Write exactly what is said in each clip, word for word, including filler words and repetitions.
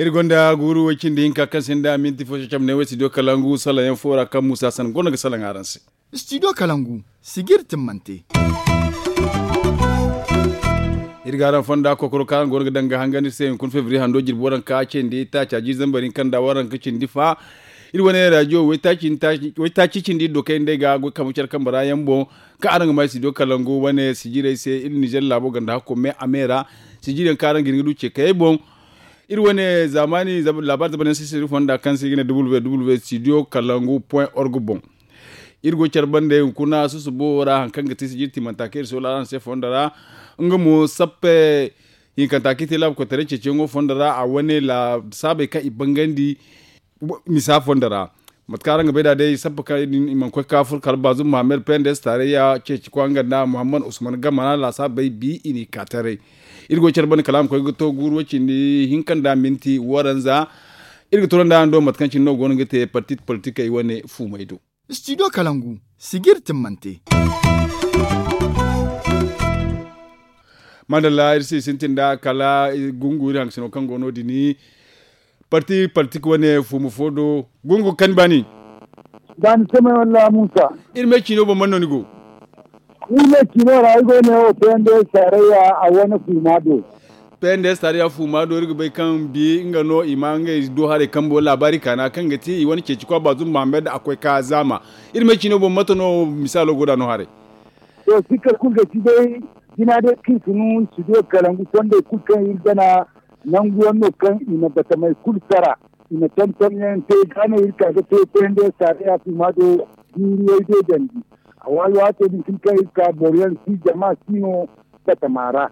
Iri gonda guuru way cindi hinka kaŋ sinda minti fo cacam ne way studio kalangu salaŋ yaŋ fo ra kaŋ muusa san gonda ga salaŋ araŋ se. Studio kalangu sijiri timmante. Iri ga araŋ fonda kokoro kaŋ araŋ go no ga daŋ ga hangan iri se hunkuna febriye hando jirbi waranka cindi taaci a jiiri zambar hinka nda waranka cindi fa. Iri wane rajiyo waytaaci cindi iri do kayna day ga goy kambe care kambe ra yaŋ boŋ. Kaŋ araŋ ga ma studio kalangu wane sijirey se iri nizer laabo ganda hakko me a me ra. Sijiri yaŋ kaŋ araŋ ga hin ga du ce kayey boŋ. Iri wane zaamaani laabaari zamanyaŋ se iri fonda kaŋ se i ga ne www studio kalangu point org boŋ. Iri go care bande hunkuna susubo ra hari kaŋ ga ti sijiri tiimanta kaŋ iri soola araŋ se fondo ra. Nga mo sappe hinkanta kaŋ i te laabu koytaray ceeciyaŋo fondo ra a wane laasaabey kaŋ i bangandi. Misa fondo ra mate kaŋ araŋ ga bay nd'a day sappe kaŋ i mana koy ga ka furo kala baazum muhammad pendes taarayya ceeci kwaŋ nga nda muhammad usman gamana laasaabey bi i n'i ka taray. Iri go care bande kala a ma koy ga to guuru way cindi hinka nda minti waranza. Iri ga toro nda araŋ do mate kaŋ cine no go no ga te parti politikey wane fuumey do. Studio kalangu sijiri timmante. Madalla iri se i sintin nda kala gungu iri haŋ ga sino kaŋ go no- din. Parti politik wane fuumu fo do gungu kaŋ ni baani. Baani samay walla muusa. Iri me ciino boŋ man no ni go? Iri me ciino ra ay go ne wo pnds taarayya a wane fuuma do. Pnds taarayya fuuma do iri ga bay kaŋ bi nga no i ma ngey do haray kambo laabaari kaana kaŋ ga ti i wane ceeci kwa baazum muhammad a koy ka zaama. Iri me ciino boŋ mate no misaalo go nd'a no haray? To sikka kulu ga ti day. Jina day kaŋ i si nu studio kalangu fondey kulu kaŋ iri gana nangu yaŋ no kaŋ i na batamey kulu sara. I na tonton yaŋ te ga no iri ka ga te pnds taarayya fuuma do. Jiiri way day dandi. A waay waato din kulu kaŋ iri ka boro yaŋ si jama si no batama ra.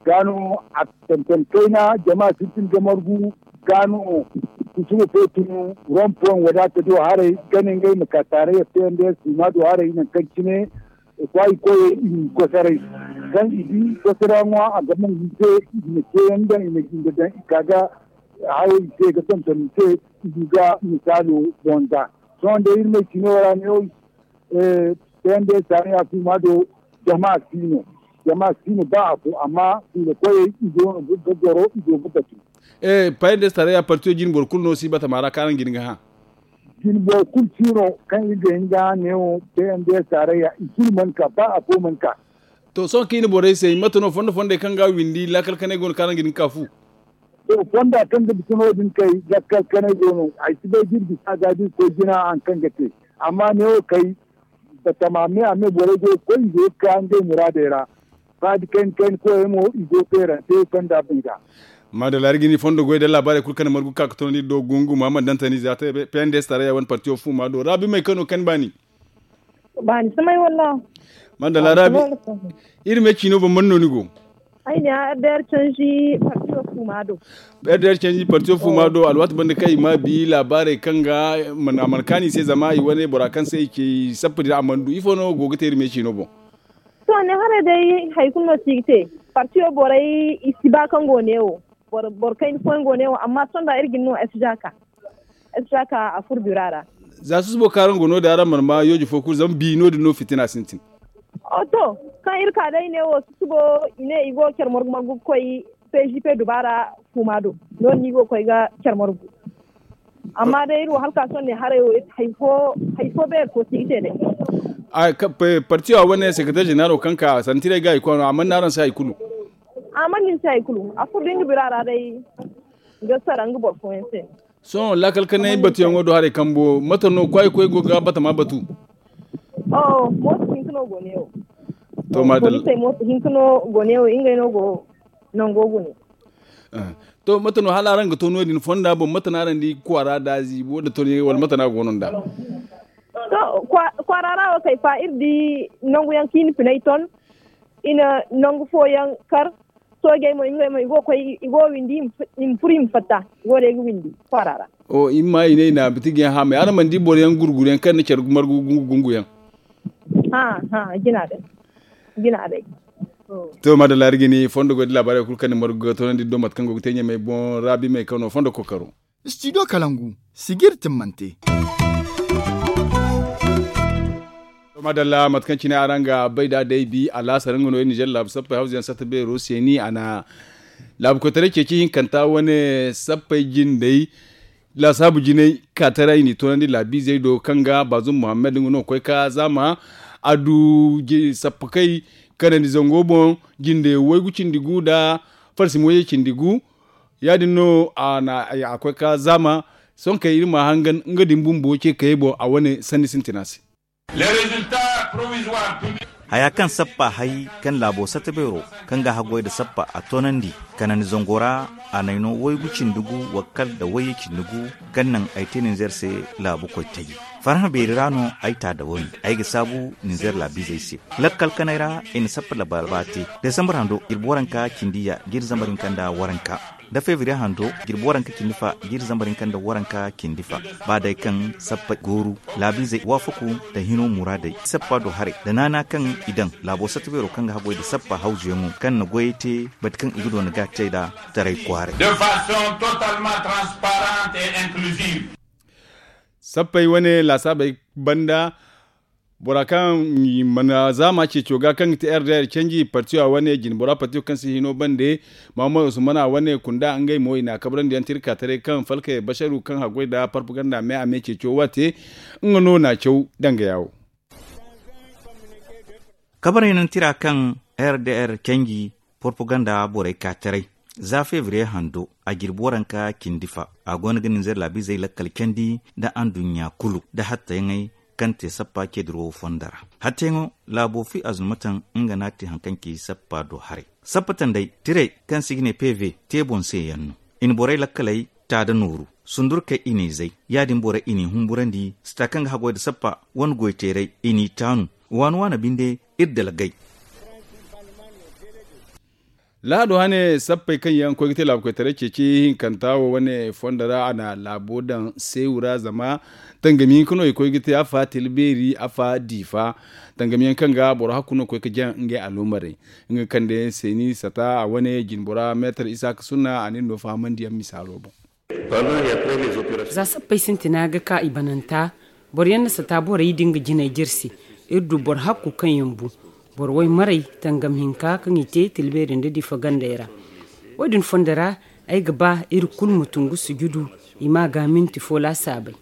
Ga no a tonton kayna jama sintin ga margu. Ga no kusumo fo tun rompoŋ wadaata do haray gane ngey ma ka taarayya pnds fuuma do haray nangu kaŋ cine. Kwaayi koyey i n'i kosoray kaŋ i di kosora ŋwa a ga mangum se. I na ceeyaŋ daŋ i na jinde daŋ i ka ga hayo i se ga tonton i se. I du ga misaalo boŋ da sohõ day iri ma ay cino ra ne. Pnds taarayya fuuma do jama si no. Jama si no ba afo amma fuula koyey i go no ga goro i go ga batu. Pnds taarayya partiyo jine boro kulu no si batama ra kaŋ araŋ ga hin ga hã. Jine boro kulu si no kaŋ iri ga hin ga hã neewo pnds taarayya i kulu mana ka ba afo mana ka. To sohõ kaŋ i na borey se mate no fondo fondey kaŋ ga windi laakal kanay go no kaŋ araŋ ga hin ga ka fu. To fonda kaŋ ga bisa no- din kay laakal kanay go no ay si bay da iri bisa ga da iri koy jina hari kaŋ ga te. Amma neewo kay batama me a me borey go ga koy i go ga ka ngey muraadey ra. Faadi kayna kayna koyey mo i go ga feerante fonda banda. Maadalla iri ga ni fondo goy da laabaarey kulu kaŋ na margu ga ka ga toonandi iri do gungu muhammad dantani za te pnds taarayya wane partiyo fuuma do raabi may kano kaŋ ni baani. Baani samay walla. Maadalla raabi. Iri me ciino boŋ man no ni go? Ay ne a rdr canji partiyo fuuma do. Rdr canji partiyo fuuma do alwaati banda kaŋ i ma bi laabaarey kaŋ ga a mana kaanu i se zama i wane bora kaŋ se i ce i sappa din a mana du ifo no go ga te iri me ciino boŋ? To ne haray day hari kulu no si ga te. Partiyo borey i si ba kaŋ go neewo. Boro kayna fooyaŋ go neewo amma sohõ da iri ga ni no s jaka. S jaka a furo bira ra. Za susubo kaŋ araŋ go no- din araŋ mana ma yooji fo kulu zama bi no- din no fitina sintin. To kaŋ iri ka day neewo susubo i ne i go ga care margu margu ga koy pgp dubaara fuuma do. No- din no i go ga koy ga care margu. Amma day iri wo hala ka sohõ ne haray wo hari fo beeri fo si ga te day. Partiyo a wane sekretar jeneralo kaŋ ka santiray ga hari kulu no a mana ne araŋ se hari kulu. A mana ne ni se hari kulu a furo da nga bira ra day. Ga sara nga boro fooyaŋ se. Sohõ laakal kanay batuyaŋo do haray kambo mate no kwaayi koy go ga batama batu? Mooto hinka no go ne wo. To maadalla. Poliisey mooto hinka no go ne wo ngey no go nango gune. To mate no hala araŋ ga to no- din fonda boŋ mate no araŋ di kwaara da ziibo nda to ne wala mate no a go no nd'a? To kwaara ra wo kay fa iri di nangu yaŋ kaŋ i na finay ton. I na nangu fooyaŋ kar. Soojey mo ngey mo i go ga koy i go ga windi i ma furo i ma fatta. I go day ga windi kwaara ra. I ma ma i ne i na bitigi yaŋ haamay araŋ mana di boro yaŋ gurguru yaŋ kaŋ na care margu gungu gungu yaŋ? Hã hã jina day. Jina day. To maadalla iri ga ni fondo goy da laabaarey kulu kaŋ ni margu ga toonandi ni do mate kaŋ go ga te ɲamey boŋ raabi may kaŋ no fondo kookaro. Studio kalangu sijiri timmante. Maadalla mate kaŋ cine araŋ ga bay nd'a day bi alaasar nga no iri nizer laabu sappey hawza yaŋ satta beero se ni a na Laabu koytaray ceeci hinkanta wane sappey jindey laasaabu jinay kaataray i n'i toonandi laabiizey do kaŋ ga baazum muhammad nga no ga koy ka zaama. A du sappakey kanandi zango boŋ jinde waygu cindi gu nda farsim wayey cindi gu. Ya- din no a koy ka zaama. Sohõ kay iri ma a hangan nga din bumbo ce kayey boŋ a wane sanni sintina se. Haya kaŋ sappa hay kaŋ laabo sata beero kaŋ ga haggoy nda sappa a toonandi kanandi zango ra. A n'ay no waygu cindi gu wakkal nda wayye cindi gu kaŋ naŋ ay te ninzeer se laabu koytaji. Farhã beeri ra no ay ta da woy ay ga saabu ninzeer laabiizey se. Lakkal kanay ra i na sappa labalaba te desambar hando jirbi waranka cindi ya jirbi zambar hinka nda waranka nda febriye hando jirbi waranka cindi fa jirbi zambar hinka nda waranka cindi fa. Ba day kaŋ sappa gooru laabiizey waafaku nda hino muraadey sappa do haray nda naana kaŋ i daŋ laabo sata beero kaŋ ga haggoy nda sappa hawzuyaŋo kaŋ na goyey te bati kaŋ i ga doona ga te nda taray kwaaray. Sappey wane laasaabey banda bora kaŋ mana zaama ceeco ga kaŋ ga ti r d r canji partiyo a wane jinbora partiyo kaŋ si hino bande. Mahamad usman a wane kunda ngey mo i n'a kabrandi yaŋ tirka taray kaŋ falkey basharu kaŋ haggoy nda parpaganda me a me ceeco waate nga no n'a caw danga yaawo. Kabarey naŋ tira kaŋ r d r canji propaganda borey ka taray za febriye hando a jirbi waranka cindi fa. A go no ga ninzeer laabiizey lakkal candi nda anduɲɲa kulu nda hattayaŋey kaŋ te sappa ceediro fondo ra. Hattayaŋo laabo fi azulmataŋ nga no a te haŋ kaŋ ci sappa do haray. Sappa tanday tirey kaŋ se i ga ne pv te boŋ se yaŋ no. I na borey lakkaley ta nda nooru sundurkey i n'i zay. Ya- din borey i n'i humburandi sata kaŋ ga haggoy nda sappa wane goyteerey i n'i taanu waani waani binde. Iri dalgay. Lahado hane sappey kaŋ yaŋ koy ga te laabu koytaray ceeci hinkanta wo wane fondo ra a na laabo daŋ seewu ra zama tangami hinka no i koy ga te afa tilbeeri afa diifa. Tangami yaŋ kaŋ ga boro hakku no koy ga jaŋ ngey aloomarey nga ga kande seeni sata a wane jinbora meetar isaaka sunna a na iri no fahamandi yaŋ misaalo boŋ. Za sappey sintina ga ka i bananta boro yaŋ na sata borey din ga jinay jirsi. Iri du boro hakku kaŋ yaŋ bu boro waymarey tangam hinka kaŋ i te tilbeeri nda difa gandey ra. Wo- din fondo ra ay ga ba iri kulu ma tun ga sujudu i ma a ga minti fo laasaabey.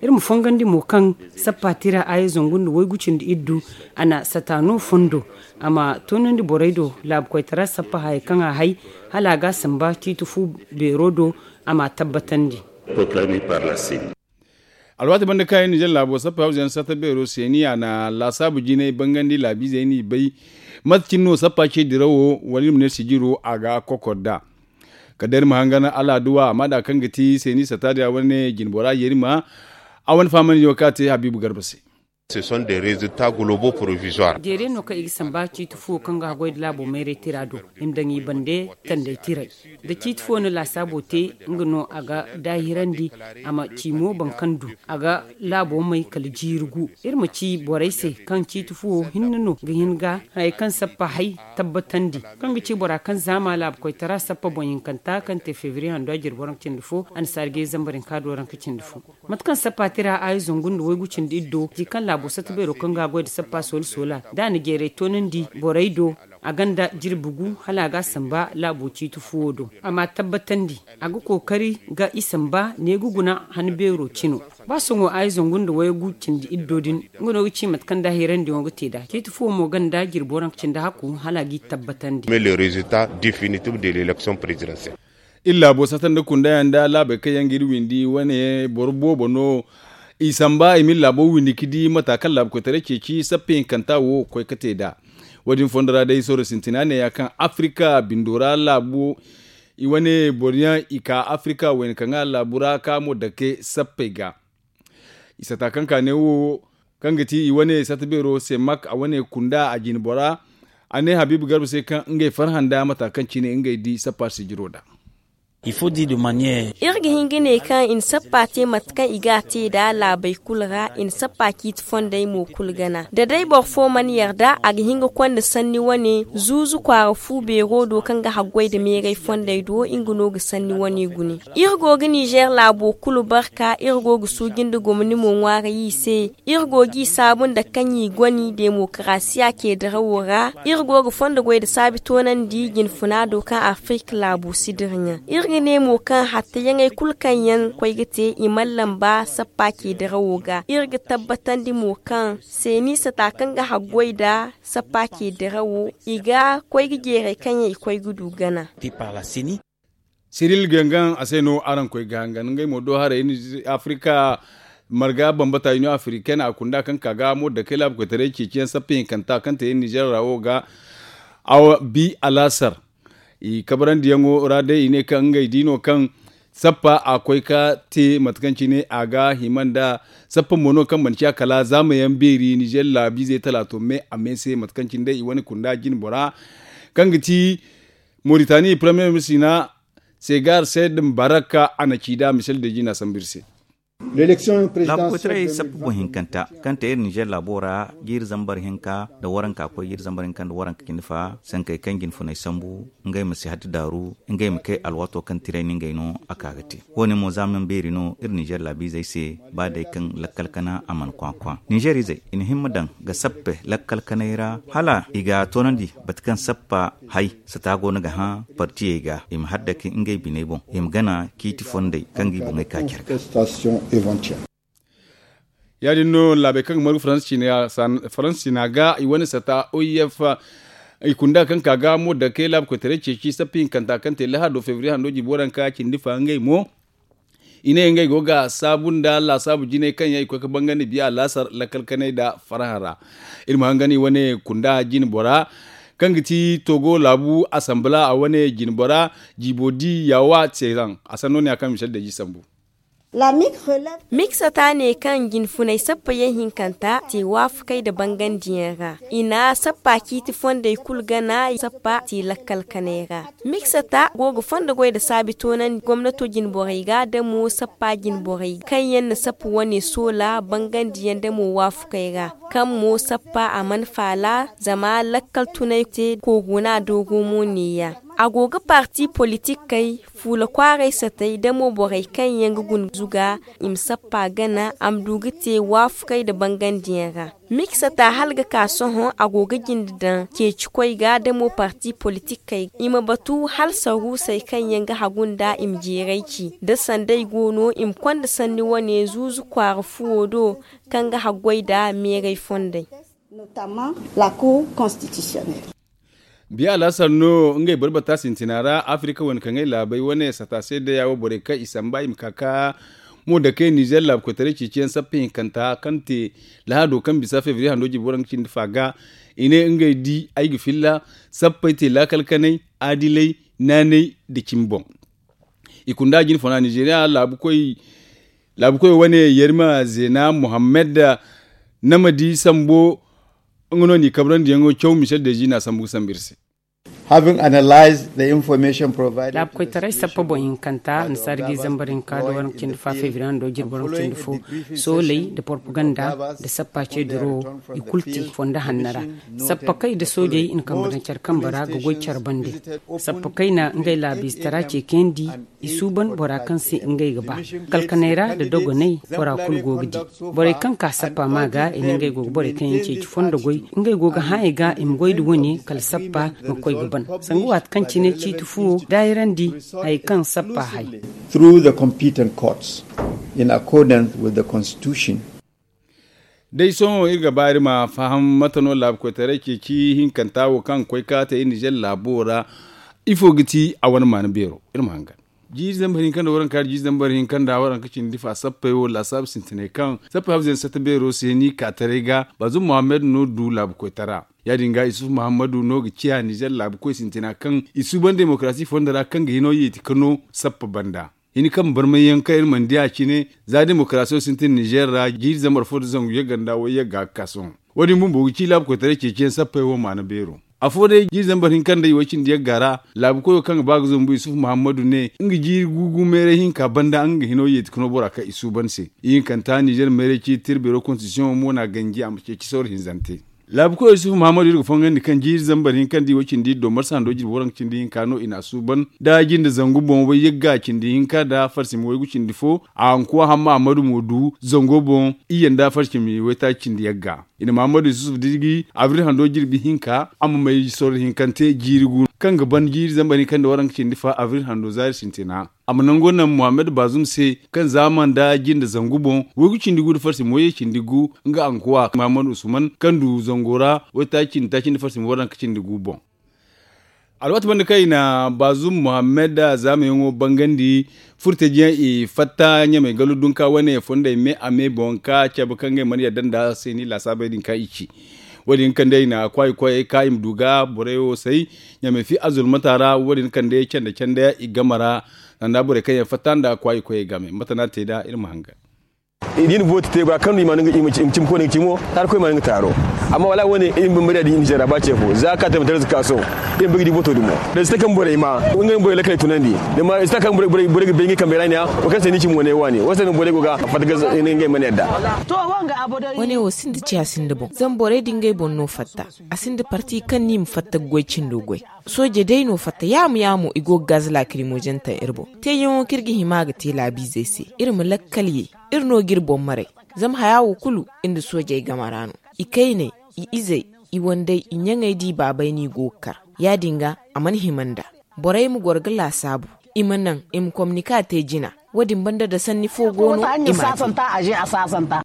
Iri ma fongandi mo kaŋ sappa tira aya zangu nda waygu cindi iddu a na sata no fondo a ma toonandi borey do laabu koytara sappa hayey kaŋ a hay hala a ga a samba ciiti fu beero do a ma a tabbatandi. Alwaati banda kaŋ i na jare laabo sappa hawzu yaŋ sata beero seeni a na laasaabu jinay bangandi laabiizey n'i bay mate cine no sappa ce dirawo wala iri ma ne sijiro a ga kokor nd'a. Kala day iri ma hangan alaaduwa a ma da kaŋ ga ti seeni sata din a wane jinbora yerima a wane fahamandi yaŋo kaŋ a te habiibu garba se. Jeere no kaŋ i ga samba ciiti fuwo kaŋ ga haggoy nda laabo mayray tira do i ma daŋ i bande tanday tiray da ciiti fuwo no laasaabo te. Nga no a ga daahirandi a ma ci mo boro kaŋ du a ga laabo may kala jiiri gu. Iri ma ci borey se kaŋ ciiti fuwo hinne no ga hin ga hayey kaŋ sappa hay tabbatandi kaŋ ga ci bora kaŋ zaama laabu koytara sappa boŋ hinkanta kaŋ te febriye hando a jirbi waranka cindi fo annasaari ga ye zambar hinka do waranka cindi fo. Mate kaŋ sappa tira aya zangu nda waygu cindi iddo ji kaŋ laabo sata beero kaŋ ga a goy nda sappa soola soola da a na jeeray toonandi borey do a gonda jirbi gu hala a ga a samba laabo ciiti fuwo do a ma a tabbatandi a ga kookari ga i samba ne ga guna han beero cino. Ba sohõ aya zangu nda waygu cindi iddo din nga no ga ci mate kaŋ da hirandiyaŋo ga te nd'a ciiti fuwo mo gonda jirbi waranka cindi hakku hala a g'i tabbatandi. Iri laabo sata nda kunda yaŋ nda laabey kaŋ yaŋ ga iri windi wane boro boobo no i samba i ma iri laabo windi ga di mata kaŋ laabu koytaray ceeci sappe hinkanta wo ga koy ga te nd'a. Wo- din fondo ra day sohõ sintina neeya kaŋ afrika bindo ra laabo i wane boro yaŋ i ka afrika wayna kaŋ ga laabu ra ka mo dake sappey ga. I sata kaŋ ka ne wo kaŋ ga ti i wane sata beero se mak a wane kunda a jine bora a ne habiibu garba se kaŋ ngey farhã nda mata kaŋ cine ngey di sappa sijiro nd'a. Iri ga hin ga ne kaŋ i na sappa te mate kaŋ i ga a te nd'a laabey kulu ra, i na sappa ciiti fondey mo kulu gana. Da day boro fo mana yarda, a ga hin ga konda sanni wane zuuzu kwaara fu beero do kaŋ ga haggoy nda meeray fondey do, nga no ga sanni wane gune. Iri go ga nizeer laabo kulu barka, iri go ga suuji nda gomni mo ŋwaaray i se. Iri go g'i saabu nda kaŋ i goni demokarasiya ceedirawo ra. Iri go ga fondo goy nda saabi toonandi jinfuna do kaŋ afirika laabu si dira ɲaŋ. Iri ga ne mo kaŋ hattayaŋey kulu kaŋ yaŋ koy ga te i mana lamba sappa ceedirawo ga. Iri ga tabbatandi mo kaŋ seeni sata kaŋ ga haggoy nda sappa ceedirawo, i ga koy ga jeeray kaŋ yaŋ i koy ga du gana. Siril gangan a se no araŋ koy ga hangan ngey mo do haray afirika marga bambata union africaine a kunda kaŋ ka ga mo da kay laabu koytaray ceeciyaŋ sappa hinkanta kaŋ te iri nizer ra wo ga. Awa bi alaasar i kabarandiyaŋo ra day i ne kaŋ ngey di no kaŋ sappa a koy ka te mate kaŋ cine a ga hima nda sappa mo no kaŋ mana ciya kala zaamayaŋ beeri nizer laabiizey talaato me a me se mate kaŋ cine day i wane kunda jine bora kaŋ ga ti moritani premier ministre na segar said mbaraka a na ci da misel de jina sambu iri se. Laabu koytaray sappa boŋ hinkanta kaŋ te iri nizer laabo ra jiiri zambar hinka nda waranka koy jiiri zambar hinka nda waranka cindi fa sankey kaŋ jinfuney sambu ngey ma si hatti daaru ngey ma kay alwaato kaŋ tiray no ngey no a ka ga te. Wo- ne mo zaamayaŋ beeri no iri nizer laabiizey se ba day kaŋ lakkal kana a mana kwakwa nizer izey i na himma daŋ ga sappe lakkal kanay ra hala i ga toonandi bate kaŋ sappa hay sata go no ga hã partiyey ga i ma haddaki ngey biney boŋ i ma gana ciiti fondey kaŋ ga i boŋey ka care ga. Ya- din no laabey kaŋ ga margu faransa ciina ga i wane sata o i f i kunda kaŋ ka ga mo dake laabu koytaray ceeci sappa hinkanta kaŋ te lahado febriye hando jibo ranka cindi fa ngey mo i ne ngey go ga saabu nda laasaabu jinay kaŋ yaŋ i koy ga bangandi biya laasar lakkal kanay nda farhã ra. Iri ma hangan i wane kunda jine bora kaŋ ga ti togo laabu asambala a wane jine bora jibo di yaawa teeraŋ a sanno ne ya kaŋ misal deeji sambu. Miksata ne kaŋ jinfunay sappa yaŋ hinkanta te waafakay nda bangandiyaŋ ra i na sappa ciiti fondey kulu gana sappa te lakkal kanay ra. Miksata go ga fondo goy nda saabi toonandi gomnato jinborey ga da mo sappa jinborey kaŋ yaŋ na sappa wane soola bangandiyaŋ da mo waafakey ra kaŋ mo sappa a mana faala zama lakkal tunay te korona doogo mo neeya. A go ga parti politikey fuula kwaaray satey da mo borey kaŋ yaŋ ga guna zuga i ma sappa gana a ma du ga te waafakey nda bangandiyaŋ ra. Miksata hala ga ka sohõ a go ga jinde daŋ ceeci koy ga da mo parti politikey i ma batu hala saruusey kaŋ yaŋ ga hagu nda i ma jeeray ci da sanday go no i ma konda sanni wane zuuzu kwaara fuwo do kaŋ ga haggoy nda meeray fondey. Biya alaasar no ngey boro bata sintina ra afirika wane kaŋ ay laabey wane sata se day a wo borey kaŋ i samba i ma ka ka mo dake nizer laabu koytaray ceeciyaŋ sappa hinkanta kaŋ te lahado kaŋ bisa febriye hando jibo ra nga cindi fa ga i ne ngey di ay ga filla sappey te laakal kanay aadilay naanay nda cimi boŋ. I kunda jinfuna nizeriya laabu koy wane yerima zeena muhammad nama di sambo nga no n'i kabrandiyaŋo caw michel deji n'a sambu ga sambu iri se. Having analyzed the information provided to the laabu koytaray sappa boŋ hinkanta annasaara ga i zambar hinka nda waranka cindi fa febriye hando jirbi waranka cindi fo sooley nda porpaganda nda sappa ce diro i kulu te fondo hanno ra. Sappa kay nda soojey i na kambe daŋ care kambe ra ga goy care bande. Sappa kay na ngey laabiizatara ce kayandi i suuban bora kaŋ se ngey ga ba kalkanay ra nda dogonay bora kulu go ga di. Borey kaŋ ka sappa ma ga i na ngey go ga borey kaŋ yaŋ ceeci fondo goy ngey go ga hã i ga i ma goy nda wane kala sappa ma koy ga ban sanga waati kaŋ cine ciiti fuwo daayirandi hari kaŋ sappa hay. Through the competent courts in accordance with the constitution. Day sohõ iri ga ba iri ma faham mate no laabu koytaray ceeci hinkanta wo kaŋ ga koy ka te iri nizer laabo ra. Ifo ga ti a wane maana beero iri ma hangan jiiri zambar hinka nda waranka jiiri zambar hinka nda waranka cindi fa sappey wo laasaabu sintinay kaŋ sappey hawzey na satta beero se ni ka taray ga bazum muhammad no du laabu koytara. Ya- din ga isuf muhammadu no ga ciya nizer laabu koy sintina kaŋ i suuban demokarasi fondo ra kaŋ ga hino yeeti ka no sappa banda. Hini kaŋ barmay yaŋ kaŋ iri mana di a cine za demokarasiyo sintin nizer ra jiiri zambar fo nda zangu yagga nda way yagga ga ka sohõ. Wo- din bumbo ga ci laabu koytaray ceeciyaŋ sappey wo maana beero. Afo day jiiri zambar hinka nda i way cindi yagga ra, laabu koyo kaŋ ga ba ga zumbu isufu muhammadu ne nga jiiri gugu meeray hinka banda nga ga hino yeeti ka no bora kaŋ i suuban se. Ihinkanta nizer meeray ciiti tirbeero konstitisiyoŋo mo na ganji a ma ceeci sawru hinzante. Laabu koyo isufu muhammadu iri ga fongandi kaŋ jiiri zambar hinka nda i way cindi domar sando jirbi waranka cindi hinka no i na a suuban da jinde zangu boŋ way yagga cindi hinka nda farsimi waygu cindi fo a hankuwa hamma ahmadu mo du zango boŋ iyye nda farsimi waytaaci cindi yagga. I na muhammadu yusuf dirgi abril hando jirbi hinka a ma may sorro hinkante jiiri gu kaŋ ga ban jiiri zambar hinka nda waranka cindi fa abril hando zaari sintina. A ma nango naŋ muhammad bazum se kaŋ zaama nda jinde zangu boŋ waygu cindi gu nda farsimi wayye cindi gu nga hankuwa muhammad usman kaŋ du zango ra waytaaci cindi taaci nda farsimi waranka cindi gu boŋ. Alwaati banda kaŋ i na bazum muhammad zaamayaŋo bangandi furtajiyaŋ i fatta ɲamay galu dunka wane fondey me a me boŋ ka cabe kaŋ ngey mana yadda nda seeni laasaabey din kaŋ i ci. Wo- din kande i na kwaayi koyey ka i ma du ga borey wo say ɲamay fi azulmata ra wo- din kande cande cande i game ra. Sanda borey kaŋ yaŋ fatta nda kwaayi koyey game mate no a te nd'a iri ma hangan. I na vooti te bora kaŋ no i ma no i ma cimi koy no i ga cimo taari koy ma no nga taaro. Amma wala wane iri ma bambari a di nizer ra ba ce fo za ka taimata da zaka sohõ. Iri ma bay ga di voto dumo da zita kaŋ borey ma ngey borey lakaley tunandi. Zama zita kaŋ borey ga bay ngey kambey ra ne ya wo kaŋ se ni cimi wane waani wo se no borey go ga fatta ga ngey mana yadda. Wane wo sinda ciya sinda boŋ zama borey da ngey boŋ no fatta. A sinda parti kaŋ ni ma fatta ga goy cindo goy. Sooje day no fatta yaamu yaamu i go ga gaz laakirimozen taŋ iri boŋ teeyaŋo kaŋ iri ga hima ga te laabiizey se iri ma lakkal ye. Iri no ga iri boŋ maray zama haya wo kulu iri nda soojey game ra no. I kayney, i izey, i wandey, i ɲaŋey da i baabey no i go ga kar. Ya- din ga a mana hima nd'a. Borey ma goro ga laasaabu. I ma naŋ i ma komnika te jina. Wo- din banda da sanni fo go no i ma a te.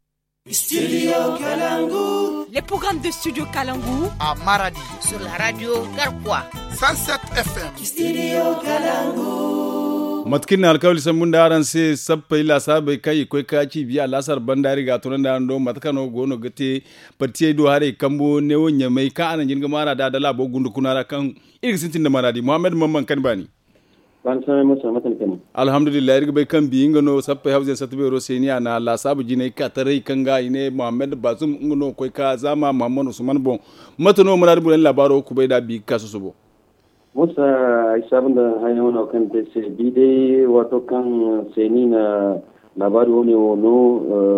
Studio kalangu. Le programme de studio kalangu a maradi sur la radio garkwa. Cent sept f m. Studio kalangu. Mate kaŋ iri na alkawali sambu nda araŋ se sappey laasaabey kaŋ i koy ka ci biya laasar banda iri ga a tunandi araŋ do mate kaŋ no go no ga te. Partiyey do haray kambo neewo ɲamay kaŋ a na jin ga maana da da laabo gunda kuna ra kaŋ iri ga sintin nda maana di muhammad mamman kaŋ ni baani. Baani samay musa mate ni kani. Alhamdulillahi iri ga bay kaŋ bi nga no sappey hawzayaŋ satta beero se ni a na laasaabu jinay ka taray kaŋ ga i ne muhammad bazum nga no koy ka zaama muhammad usman boŋ. Mate no muraadu borey na laabaaro kubay nd'a bi ga ka sosobo. Musa, ay saabu nda haya wane wo kaŋ ni te ay se bi day waato kaŋ se ni na laabaari wane wo no.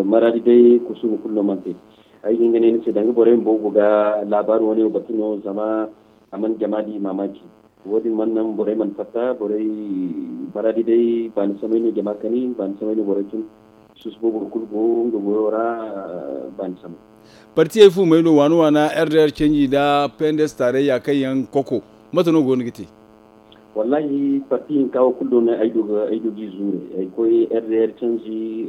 Maraadi day kusuuma kulu no mana te. Ay ga hin ga ne ni se danga borey bumbo go ga laabaari wane wo batu no zama a mana jama di maamaaci. Wo- din mana naŋ borey mana fatta borey maraadi day baani samay no jama kani baani samay no borey tun. Susubo boro kulu go nga goyo ra. Baani samay. Partiyey fu may no waana waana r d r canji nda pendes taarayya kaŋ yaŋ koko mate no go no ga te? Wallahi parti hinka wo kulu do no ay du ga i zuure ay koy r d r canji.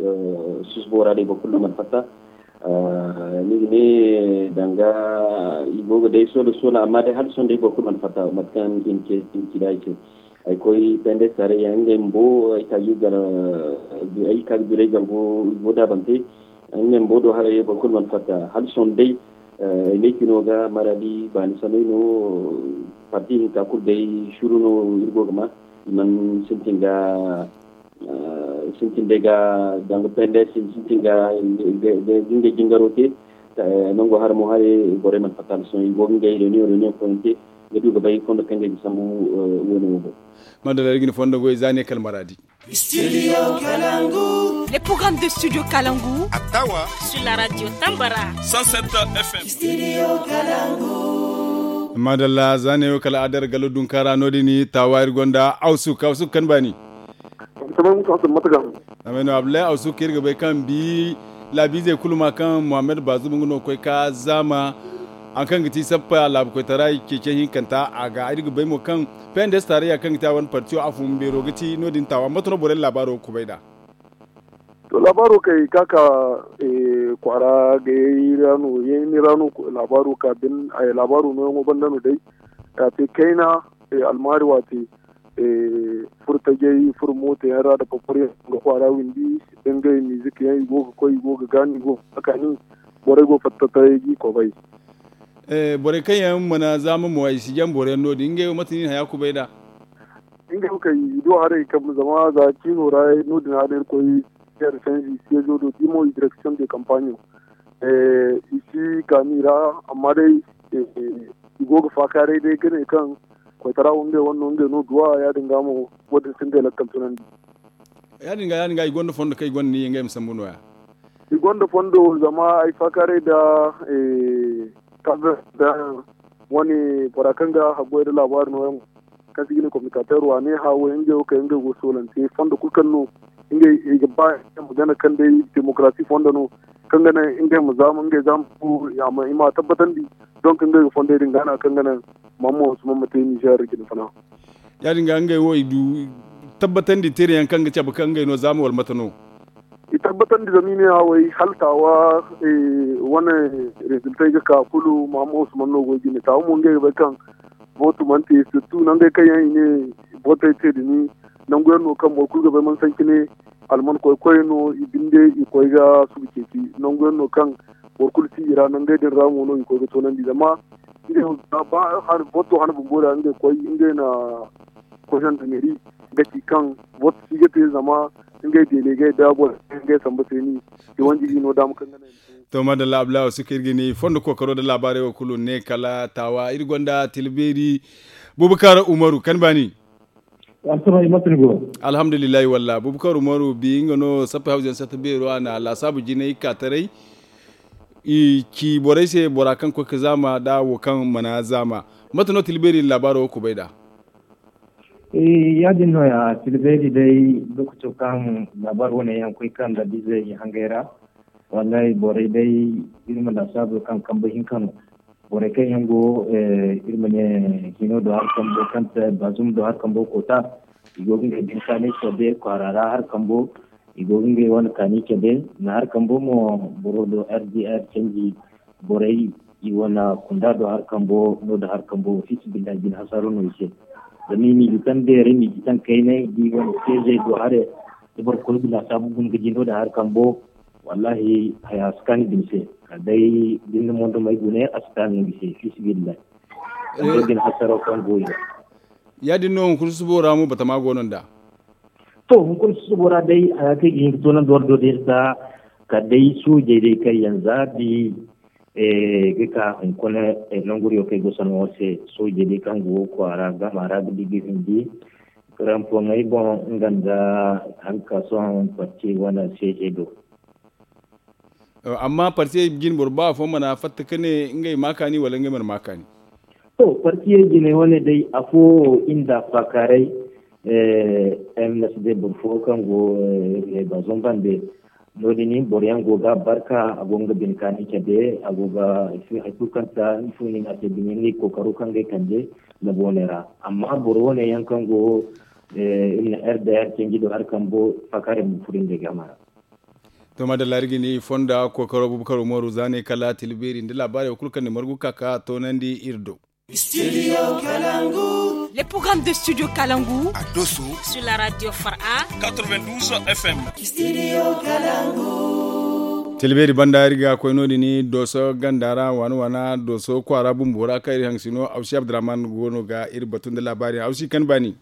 Susubo ra day boro kulu no mana fatta. Ni ga ne danga i go ga day soola soola amma day hala sohõ day boro kulu mana fatta mate kaŋ i na ci da ay se. Ay koy pendes taarayya ngey bumbo ay ka ga duray gargo i go daabante. Ngey bumbo do haray boro kulu mana fatta hala sohõ day. Ay ne cino ga maradi baani samay no. Parti hinka kulu day suru no iri go ga ma i mana sintin ga sintin day ga danga pendes sintin ga ngey jingaro te. Nango hara mo haray borey mana fatta hala sohõ i go ga ngey reunion reunion koyante ga du ga bay fondo kaŋ ga ay ga sambu. Wane wo boŋ. Madalla iri ga ni fondo goy za ne kala maradi. Studio kalangu. Le programme de studio kalangu attawa sur la radio tambara. Cent sept f m. Studio kalangu. Madalla za ne wo kala adar galo dunkara no- din tawa iri gonda awsuk awsuk kaŋ baani. Tamay musa asan mataga. Tamay no abdullahi awsuk iri ga bay kaŋ bi laabiizey kulu ma kaŋ muhammad bazum nga no koy ka zaama. Haŋ kaŋ ga ti sappa laabu koytara ceece hinkanta a ga iri ga bay mo kaŋ pendes taarayya kaŋ ga ti a wane partiyo a fun beero ga ti no- din taawa mate no borey laabaaro ga kubay nd'a? To laabaaro kay ka ka kwaara gayey ra no yayni ra no laabaaro ka bin laabaaro nooyaŋo banda no day. A te kayna almaari waate furo tajey furo mooto yaŋ ra nda paparyaŋ ga kwaara windi da ngey mizik yaŋ i go ga koy i go ga gaani i go ga kaani. Borey go fatta taray ga i kobay. Borey kaŋ yaŋ mana zaama mo ay si jaŋ boro yaŋ no- din ngey wo mate no i na haya kubay nd'a? Ngey wo kay i do haray kambe zama za ciino ra no- din hane irkoy. Yer sanzi seezo do dimo i direksiyoŋ de kampaɲo i si kaani ra. Amma day i go ga faakaaray day ga ne kaŋ koytara wo ngey wane no ngey no duwa ya- din ga mo wo- din si ngey lakkal tunandi. Ya- din ga ya- din ga i gonda fondo kaŋ i gonda niya ngey ma sambu no- ya. I gonda fondo zama ay faakaaray nda kabe nda wane bora kaŋ ga haggoy nda laabaari no- yaŋ kaŋ se i ga ne communicateur wo a ne hã wo ngey wo kay ngey go ga soolante fondo kulu kaŋ no ngey i ga ba ngey ma gana kaŋ day demokarasi fondo no kaŋ ga naŋ ngey ma zaama ngey zaama fo i ma a tabbatandi. Donk ngey ga fondey din gana kaŋ ga naŋ mamma wasu mamma te nizeer jine fana. Ya- din ga ngey wo i du tabbatandi teere yaŋ kaŋ ga cabe kaŋ ngey no zaama wala mate no? I tabbatandi zama i ne hã way hala taawa wane reziltey ga ka kulu mahamma usman no go ga i ne taawa mo ngey ga bay kaŋ bootu mana te sirtu nangey kaŋ yaŋ i ne bootey te din nangu yaŋ no kaŋ boro kulu ga bay mana sanci ne alman koy koy no i binde i koy ga subu ceeci nangu yaŋ no kaŋ boro kulu si i ra nangey din ra mo no i koy ga toonandi zama ngey ba booto hana bumbo da ngey koy ngey na koy zandameri ga ci kaŋ booto si ga te zama ngey delegey da boro ngey samba se ni i wanji ga i no daama kaŋ ga naŋ. To madalla abdullahi wasu kaŋ iri ga ni fondo kookaro nda laabaarey wo kulu ne kala taawa iri gonda tila beeri bubakar umaru kan baani. Alhamdulillahi walla bubakar umaru bi nga no sappey hawzu yaŋ satta beero a na laasaabu jinay ka taray i ci borey se bora kaŋ koy ga zaama nda wo kaŋ mana zaama. Mate no tila beeri na laabaaro wo kubay nd'a? Ya- din no- ya tila beeri day lookaco kaŋ laabaari wane yaŋ koy kaŋ nda bizey hangey ra. Wallahi borey day iri ma laasaabu kaŋ kambe hinka no. Borey kaŋ yaŋ go iri ma ne hino do hari kambo kaŋ te baazum do hari kambo koota i go ga ngey din kaani cabe kwaara ra hari kambo i go ga ngey wane kaani cabe na hari kambo mo boro do r d r canji borey i wane kunda do hari kambo no da hari kambo fiisi billahi bine hasaro no i se. Zama i m'i ga taŋ beeray m'i ga taŋ kaynay da i wane seezey do haray da boro kulu ga laasaabu guna ga di no da hari kambo. Wallahi haya si kaani bine se kala day da ni na mondo may gune a si kaani no ga se fiisi billahi. Kala day bine hasaro kaŋ go i ga. Ya- din no hunkuna susubo ra mo batama go no nda. To hunkuna susubo ra day haya kaŋ i ga hin ga toonandi war do day nda kala day soojey day kaŋ yaŋ za bi ga ka hunkuna nanguriyo kaŋ ay go sanaŋo se soojey day kaŋ go kwaara gama ra ga di ga hindi. Rampoŋey boŋ nga nda hari ka sohõ parti wane seeje do. Amma partiyey jine boro ba afo mana fatta ka ne ngey ma kaani wala ngey mana ma kaani? To partiyey jine wane day afo wo iri nda faakaaray. M n s d boro fo kaŋ go baazon bande no- din boro yaŋ go ga barka a go nga bine kaani cabe a go ga hari kulu kaŋ ta ifo no i ne a se bine ni kookaro kaŋ ga ay kande. Labooney ra amma boro wane yaŋ kaŋ go iri na r d r canji do hari kambo faakaaray ma furo ngey game ra. To madalla iri ga ni fonda kookaro bubakar umaru za ne kala tila beeri nda laabaarey wo kulu kaŋ ni margu ga ka ka toonandi iri do. Studio kalangu. Le programme de studio kalangu a doso sur la radio fara. Quatre-vingt-douze f m. Studio kalangu. Tila beeri banda iri ga koy no- din dooso ganda ra waana waana dooso kwaara bumbo ra kaŋ iri haŋ sino awsi abdurrahman go no ga iri batu nda laabaari awsi kan baani.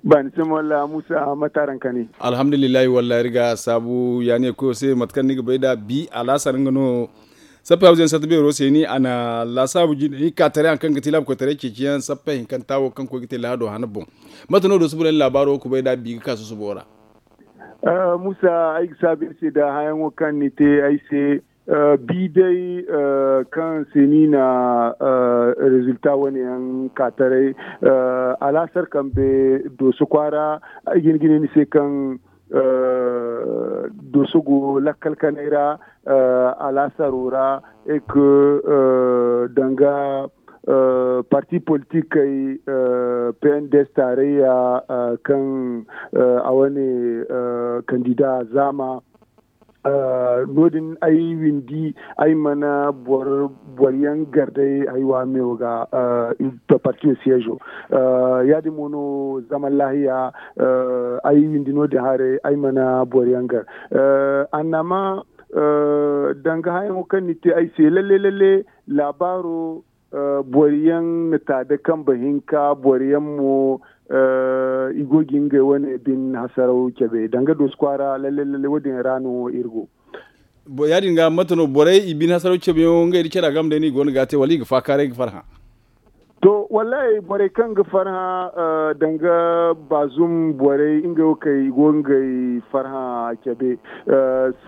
Ba ni se mo walla musa mate araŋ kani? Alhamdulillahi walla iri ga saabu ya ne koyo se mate kaŋ ni ga bay nd'a bi alaasar nga no. Sappey hawzu yaŋ sarta beero se ni a na laasaabu jine i ka taray hari kaŋ ga ti laabu koytaray ceeci yaŋ sappey hinkanta wo kaŋ koy ga te lahado hana boŋ. Mate no dooso boro yaŋ laabaaro ga kubay nd'a bi ga ka susubo ra? Musa ay ga saabu iri se nda hããyaŋo kaŋ ni te ay se. Bi day kaŋ se ni na rezilta wane yaŋ ka taray alaasar kambe dooso kwaara ay ga hin ga ne ni se kaŋ dooso go lakkal kanay ra alaasaro ra. Eke danga parti politikey pnds taarayya kaŋ a wane kandida zaama no- din ay windi ay mana boro yaŋ gar day haywa meewo ga partiyo siyeezo. Ya- din mo no zaman laahiya ay windi no- din haray ay mana boro yaŋ gar annama danga hããyaŋo kaŋ ni te ay se lalle lalle laabaaro boro yaŋ na ta da kambe hinka boro yaŋ mo i go ga ngey wane bine hasaraw cabe danga dooso kwaara lalle lalle wo- din ra no iri go. Ya- din ga mate no borey i bine hasaraw cabe yaŋo ngey nda care game day no i go no ga a te wala i ga faakaaray ga farhã? To, wallahi, borey kaŋ ga farhã danga bazum borey, ngey wo kay i go ga ngey farhã cabe.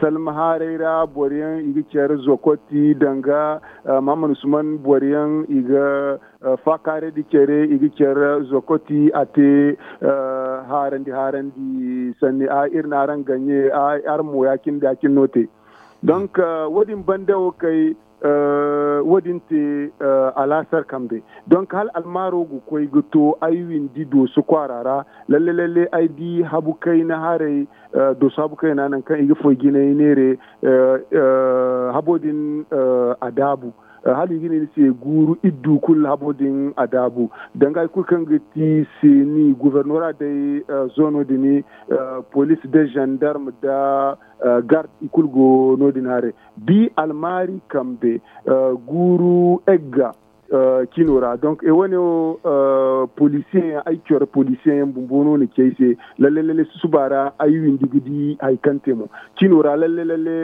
Salma haaray ra boro yaŋ i ga care zokoti danga mahamman usman boro yaŋ i ga faakaaraydi care i ga care zokoti a te haarandi haarandi sanni a iri na araŋ gaɲe araŋ mo ya- cine da ya- cine no te. Donk wo- din banda wo kay wo- din te alaasar kambe. Donk hala almaaro ga koy ga to ay windi dooso kwaara ra. Lalle lalle ay di habu kayna haray dooso habu kayna nangu kaŋ i ga foy jinay neere habo din a daabu. Hala i ga ne ni se guuru iddu kulu habo din a daabu. Danga hari kulu kaŋ ga ti seeni gubernora day zoono din police da zandarm da garde i kulu go no- din haray. Bi almaari kambe guuru egga cino ra donc e wane wo polisiye yaŋ ay coro polisiye yaŋ bumbo no na ci ay se. Lalle lalle susuba ra ay windi ga di hari kaŋ te mo cino ra lalle lalle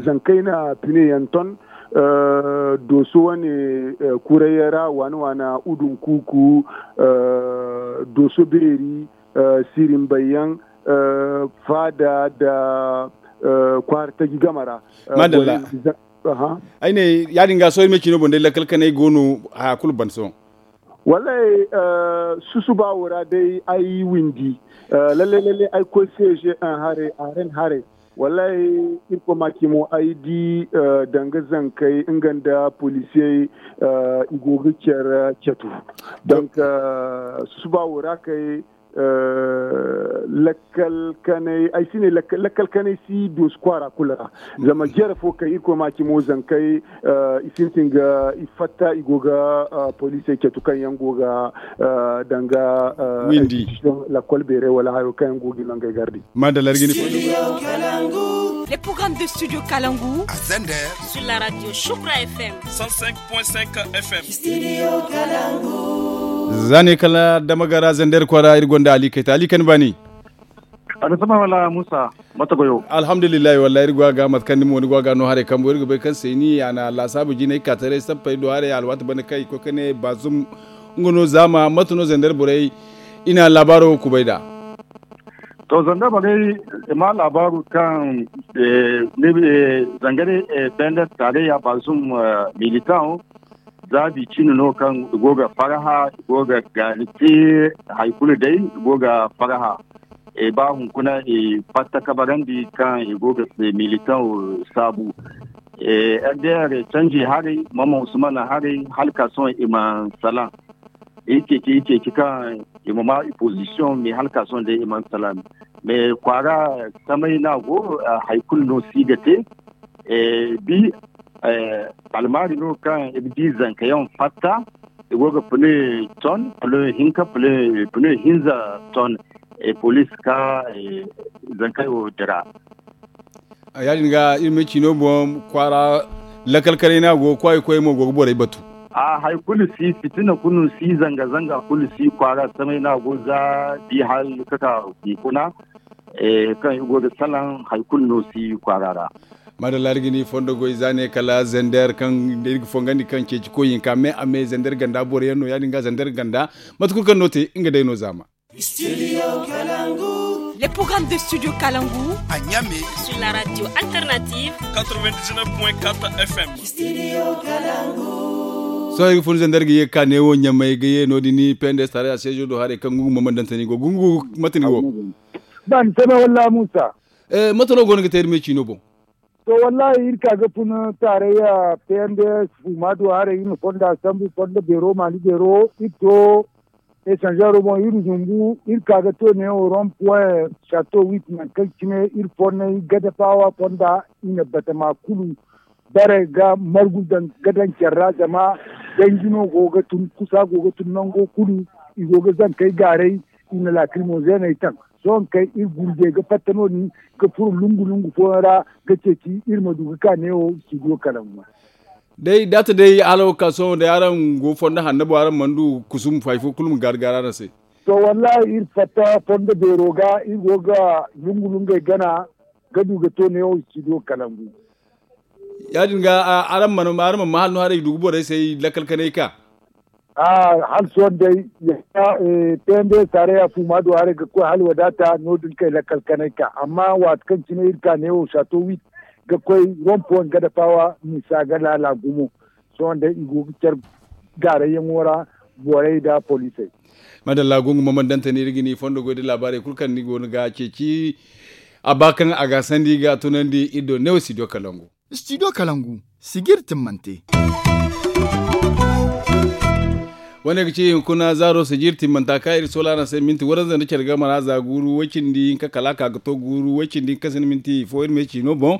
zankey na pine yaŋ ton dooso wane kurayyaŋ ra waana waana udun kuuku dooso beeri sirinbayyaŋ faada nda kwaara taji game ra. Madalla. Ay ne ya- din ga sohõ iri ma cino boŋ day lakkal kanay go no haya kulu ban sohõ. Wallaahi, susuba wo ra day ay windi. Lalle lalle ay koy seeže haray a ren haray. Wallaahi, irkoy ma ci mo ay di danga zankey nga nda poliisiyey i go ga care catu. Donk susuba wo ra kay lakkal kanay ay si ne lakkal kanay si doosi kwaara kulu ra. Zama jere fo kay irkoy ma ci mo zankey i sintin ga i fatta i go ga poliisey catu kaŋ yaŋ go ga danga windi, lakkol beeray wala hayo kaŋ yaŋ go ga i nangey gardi. Madalla iri ga ni fondo. Les programmes de studio Kalangu. A zender. Sur la radio Shukra F M. Cent cinq point cinq F M. Za ne kala dama gara zender kwara iri gonda ali kayta ali kan bani. Alisama wala musa. Mata goyo. Alhamdulillahi wallahi iri gwa ga mata kan ni mo ni gwa ga no hare kambo iri ga bay kan se ni ya na lasaabu jinay ka taray sappay do hare alwaati banda kay ko kane bazum. Nga no zama mata no zender borey i na labaaro kubay da. To zanda bagay ma labaru kan zangare pender tarayya bazum militan zabi cini no kan goga faraha goga galite haikulu dai goga faraha e ba hunkuna e fatta kabarandi kan e goga militan sabu. Rdr canji harai mama usmana harai halka son iman salam. Iceci iceci kan imama i position mai halka son dai iman salam. Mai kwara samai na go haikul no si ga te bi almari no kan i ga di zankayan fatta i go ga pune ton pune hinka pune hinza ton. Police ka zankayo dira. Ya- din ga iri ma ci no boŋ kwaara lakal kanay no a go ga kwaay koy mo go ga borey batu. A hari kulu si fitina kulu si zanga zanga kulu si kwaara samay no a go za di hal kaka hunkuna kaŋ i go ga salaŋ hari kulu no si kwaara ra. Madalla iri ga ni fondo goy za ne kala zender kaŋ iri ga fongandi kaŋ ceeci koy hinka me a me zender ganda boro yaŋ no ya- din ga zender ganda mate kulu kaŋ no te nga day no zaama. Les programmes de Studio Kalangu. À Niamey. Sur la radio alternative. Quatre-vingt-dix-neuf point quatre F M. Sohõ iri ga fun zandar ga ye ka ne wo ɲamay ga ye no- din ni pende stare a sejo do hare kaŋ gungu mamman dantani go gungu mate ni go. Ban sama walla musa. Mate no go no ga te iri me ciino boŋ. To wallahi iri ka ga fun taarayya P N D S fuma do haray iri na fonda sambu fonda beero maani beero iri to esanzaro boŋ iri zumbu iri ka ga to neewo rond point chateau huit nangu kaŋ cine iri fonnay gada paawa fonda i na batama kulu bare ga margu daŋ ga daŋ care ra zama danji no go ga tun kusa go ga tun nango kulu i go ga zankey gaaray i na laakrimozeney taŋ. Sohõ kaŋ iri gurjey ga fatta no- din ga furo lungu lungu fooyaŋ ra ga ceeci iri ma du ga ka neewo studio kalangu. Day daata day hala wo ka sohõ day araŋ go fondo hanno boŋ araŋ mana du kusum hay fo kulu ma gaari gaari araŋ se. To wallahi iri fatta fondo beero ga iri go ga lungu lungey gana ga du ga to neewo studio kalangu. Ya- din ga araŋ mana ma hala no haray ga du ga borey se lakkal kanay ka. Hala sohõ day, pnds taarayya fu ma du haray ga koy hala wadaata no- din kay lakkal kanay ka amma waati kaŋ cine iri ka neewo saato wiit ga koy rompo nga dafawa misa ga laala gumo. Sohõ day i go ga care gaarayyaŋo ra, borey nda poliisey. Madalla gungu ma man dantani iri ga ni fondo goy da laabaarey kulu kaŋ ni go no ga ceeci. A ba kaŋ a ga sandi ga tunandi iri do neewo studio kalangu. Studio kalangu, sijir timmante. Wane ga ci hunkuna zaaro sijir timmanta kaŋ iri sola araŋ se minti waranza nda care game ra za guuru way-cindi hinka kala a ka ga to guuru way-cindi hinka sinda minti fo iri ma ci no boŋ.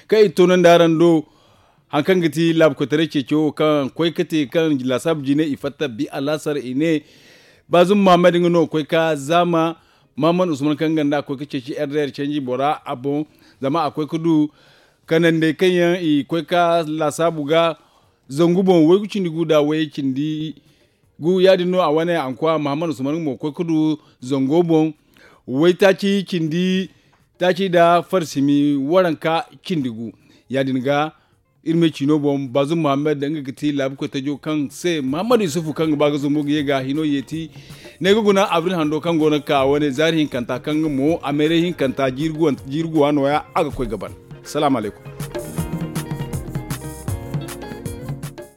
Kaŋ iri toonandi araŋ do hari kaŋ ga ti laabu koytaray ceeci wo kaŋ koy ga te kaŋ laasaabu jine i fatta bi alaasar i ne, baazum muhammad nga no ga koy ka zaama muhammad usman kaŋ nga nda a koy ga ceeci rdr canji bora a boŋ. Zama a koy ga du kanandey kaŋ yaŋ i koy ga laasaabu ga zangu boŋ waygu cindi gu nda way cindi gu ya- din no a wane ankoy muhammad usman nga mo ga koy ga du zango boŋ waytaaci cindi taaci nda farsimi waranka cindi gu. Ya- din ga iri ma ay ciino boŋ baazum muhammad nga ga ti laabu koytajo kaŋ se muhammad yusufu kaŋ ga ba ga zumbu ga ye ga hino yeeti. Ne ga guna abril hando kaŋ go no ga ka wane zaari hinkanta kaŋ nga mo a meeray hinkanta jiiri guwa no- ya a ga koy ga ban. Salaamu alaykum.